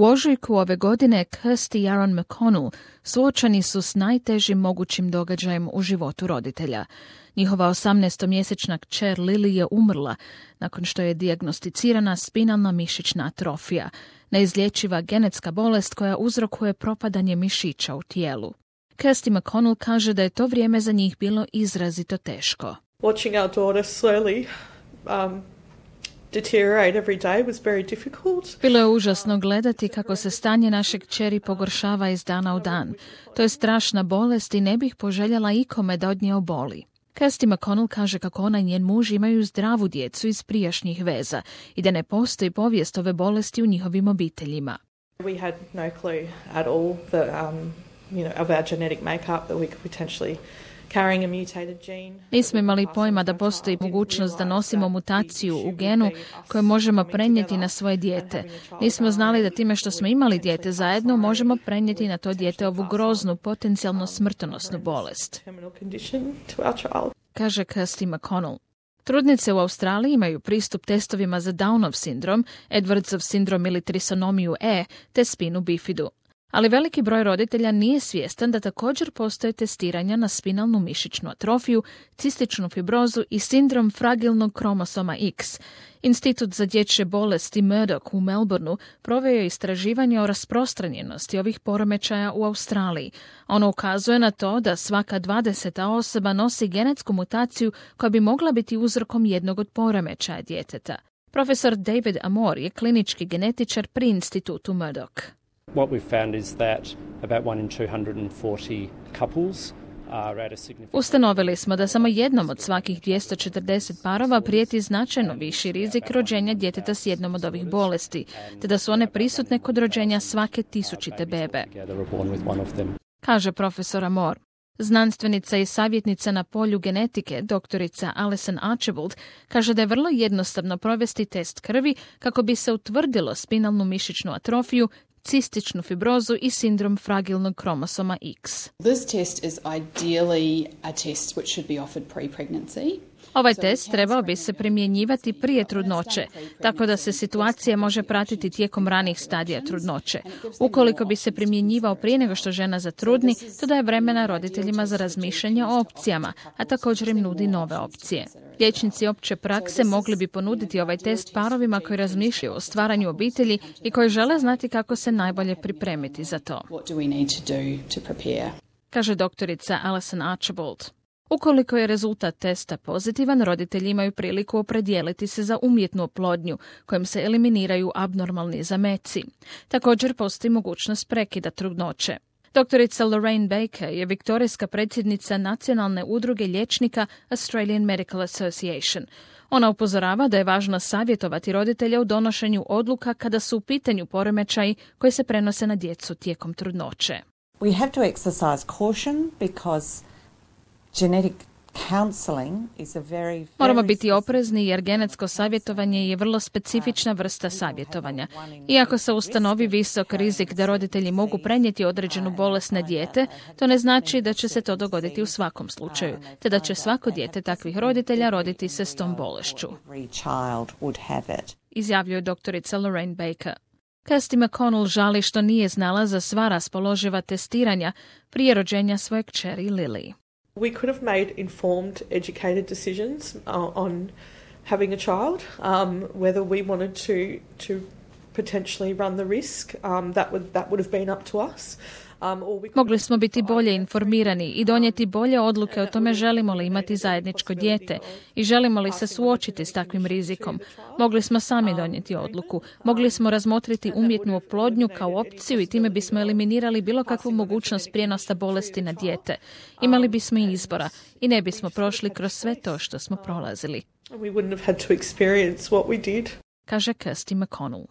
U ožujku ove godine Kirsty i Aaron McConnell suočeni su s najtežim mogućim događajem u životu roditelja. Njihova 18-mjesečna kćer Lily je umrla nakon što je dijagnosticirana spinalna mišićna atrofija, neizlječiva genetska bolest koja uzrokuje propadanje mišića u tijelu. Kirsty McConnell kaže da je to vrijeme za njih bilo izrazito teško. Watching our daughter slowly deteriorate every day was very difficult. Bilo je užasno gledati kako se stanje naše kćeri pogoršava iz dana u dan. To je strašna bolest i ne bih poželjela ikome da od nje oboli. Kirsty McConnell kaže kako ona i njen muž imaju zdravu djecu iz prijašnjih veza i da ne postoji povijest ove bolesti u njihovim obiteljima. We had no clue at all that, of our genetic makeup that we could potentially carrying a mutated gene. Nismo imali pojma da postoji mogućnost da nosimo mutaciju u genu koju možemo prenijeti na svoje dijete. Nismo znali da time što smo imali dijete zajedno možemo prenijeti na to dijete ovu groznu, potencijalno smrtonosnu bolest, kaže Kirsty McConnell. Trudnice u Australiji imaju pristup testovima za Downov sindrom, Edwardsov sindrom ili trisonomiju E, te spinu bifidu. Ali veliki broj roditelja nije svjestan da također postoje testiranja na spinalnu mišićnu atrofiju, cističnu fibrozu i sindrom fragilnog kromosoma X. Institut za dječje bolesti Murdoch u Melbourneu proveo je istraživanje o rasprostranjenosti ovih poremećaja u Australiji. Ono ukazuje na to da svaka 20. osoba nosi genetsku mutaciju koja bi mogla biti uzrokom jednog od poremećaja djeteta. Profesor David Amor je klinički genetičar pri institutu Murdoch. What we've found is that about 1 in 240 couples are at a significant... Ustanovili smo da samo jednom od svakih 240 parova prijeti značajno viši rizik rođenja djeteta s jednom od ovih bolesti, te da su one prisutne kod rođenja svake 1000. bebe, kaže profesor Amor. Znanstvenica i savjetnica na polju genetike, doktorica Alison Archibald, kaže da je vrlo jednostavno provesti test krvi kako bi se utvrdilo spinalnu mišićnu atrofiju, cističnu fibrozu i sindrom fragilnog kromosoma X. This test is ideally a test which should be offered pre-pregnancy. Ovaj test trebao bi se primjenjivati prije trudnoće, tako da se situacija može pratiti tijekom ranih stadija trudnoće. Ukoliko bi se primjenjivao prije nego što žena zatrudni, to daje vremena roditeljima za razmišljanje o opcijama, a također im nudi nove opcije. Liječnici opće prakse mogli bi ponuditi ovaj test parovima koji razmišljaju o stvaranju obitelji i koji žele znati kako se najbolje pripremiti za to, kaže doktorica Alison Archibald. Ukoliko je rezultat testa pozitivan, roditelji imaju priliku opredijeliti se za umjetnu oplodnju, kojom se eliminiraju abnormalni zameci. Također postoji mogućnost prekida trudnoće. Doktorica Lorraine Baker je viktorijska predsjednica Nacionalne udruge liječnika Australian Medical Association. Ona upozorava da je važno savjetovati roditelja u donošenju odluka kada su u pitanju poremećaji koji se prenose na djecu tijekom trudnoće. We have to exercise caution because genetic counseling is a very Moramo biti oprezni jer genetsko savjetovanje je vrlo specifična vrsta savjetovanja. Iako se ustanovi visok rizik da roditelji mogu prenijeti određenu bolest na dijete, to ne znači da će se to dogoditi u svakom slučaju, te da će svako dijete takvih roditelja roditi se s tom bolešću, izjavljuje doktorica Lorraine Baker. Kirsty McConnell žali što nije znala za sva raspoloživa testiranja prije rođenja svoje kćeri Lily. We could have made informed, educated decisions on having a child, whether we wanted to potentially run the risk. That would have been up to us. Mogli smo biti bolje informirani i donijeti bolje odluke o tome želimo li imati zajedničko dijete i želimo li se suočiti s takvim rizikom. Mogli smo sami donijeti odluku. Mogli smo razmotriti umjetnu oplodnju kao opciju i time bismo eliminirali bilo kakvu mogućnost prijenosa bolesti na dijete. Imali bismo i izbora i ne bismo prošli kroz sve to što smo prolazili, We wouldn't have had to experience what we did. kaže Kirsty McConnell.